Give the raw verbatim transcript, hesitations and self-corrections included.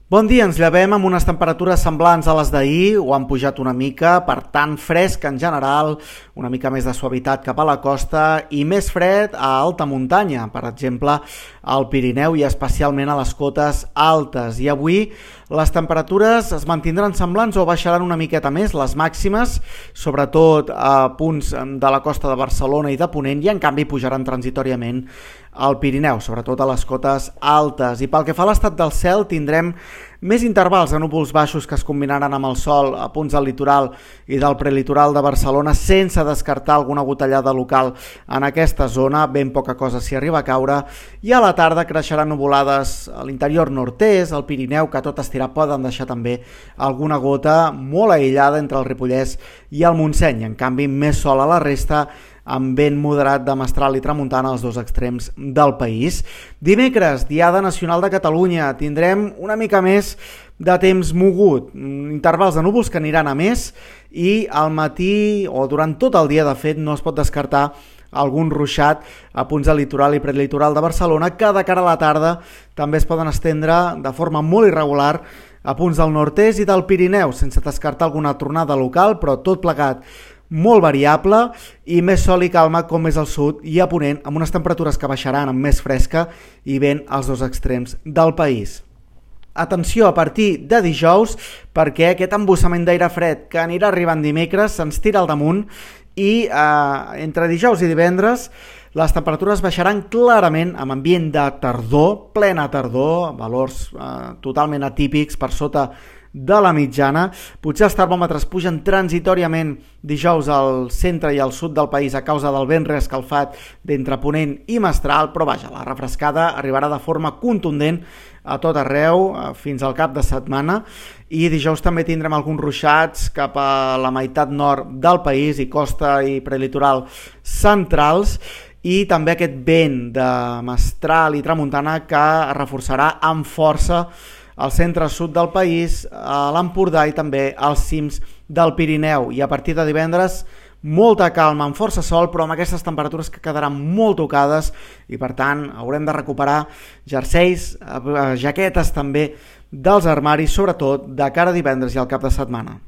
Bon dia, ens llevem amb unes temperatures semblants a les d'ahir o han pujat una mica, per tant fresc en general, una mica més de suavitat cap a la costa i més fred a alta muntanya, per exemple al Pirineu i especialment a les cotes altes. I avui les temperatures es mantindran semblants o baixaran una miqueta més, les màximes, sobretot a punts de la costa de Barcelona i de Ponent, i en canvi pujaran transitòriament al Pirineu, sobretot a les cotes altes. I pel que fa a l'estat del cel, tindrem més intervals de núvols baixos que es combinaran amb el sol a punts del litoral i del prelitoral de Barcelona, sense descartar alguna gotellada local en aquesta zona, ben poca cosa s'hi arriba a caure, i a la tarda creixeran nuvolades a l'interior nord-est, al Pirineu, que tot estirar poden deixar també alguna gota molt aïllada entre el Ripollès i el Montseny. En canvi, més sol a la resta, amb vent moderat de mestral i tramuntana als dos extrems del país. Dimecres, Diada Nacional de Catalunya, tindrem una mica més de temps mogut, intervals de núvols que aniran a més, i al matí o durant tot el dia, de fet, no es pot descartar algun ruixat a punts del litoral i prelitoral de Barcelona, que de cara a la tarda també es poden estendre de forma molt irregular a punts del nord-est i del Pirineu, sense descartar alguna tornada local, però tot plegat molt variable i més sol i calma com més al sud i a Ponent, amb unes temperatures que baixaran amb més fresca i vent als dos extrems del país. Atenció a partir de dijous, perquè aquest embussament d'aire fred que anirà arribant dimecres se'ns tira al damunt i eh, entre dijous i divendres les temperatures baixaran clarament amb ambient de tardor, plena tardor, valors eh, totalment atípics per sota de la mitjana. Potser els termòmetres pugen transitòriament dijous al centre i al sud del país a causa del vent reescalfat d'entre Ponent i Mestral, però vaja, la refrescada arribarà de forma contundent a tot arreu fins al cap de setmana, i dijous també tindrem alguns ruixats cap a la meitat nord del país i costa i prelitoral centrals, i també aquest vent de mestral i tramuntana que reforçarà amb força al centre-sud del país, a l'Empordà i també als cims del Pirineu. I a partir de divendres, molta calma, amb força sol, però amb aquestes temperatures que quedaran molt tocades i, per tant, haurem de recuperar jerseis, jaquetes també dels armaris, sobretot de cara a divendres i al cap de setmana.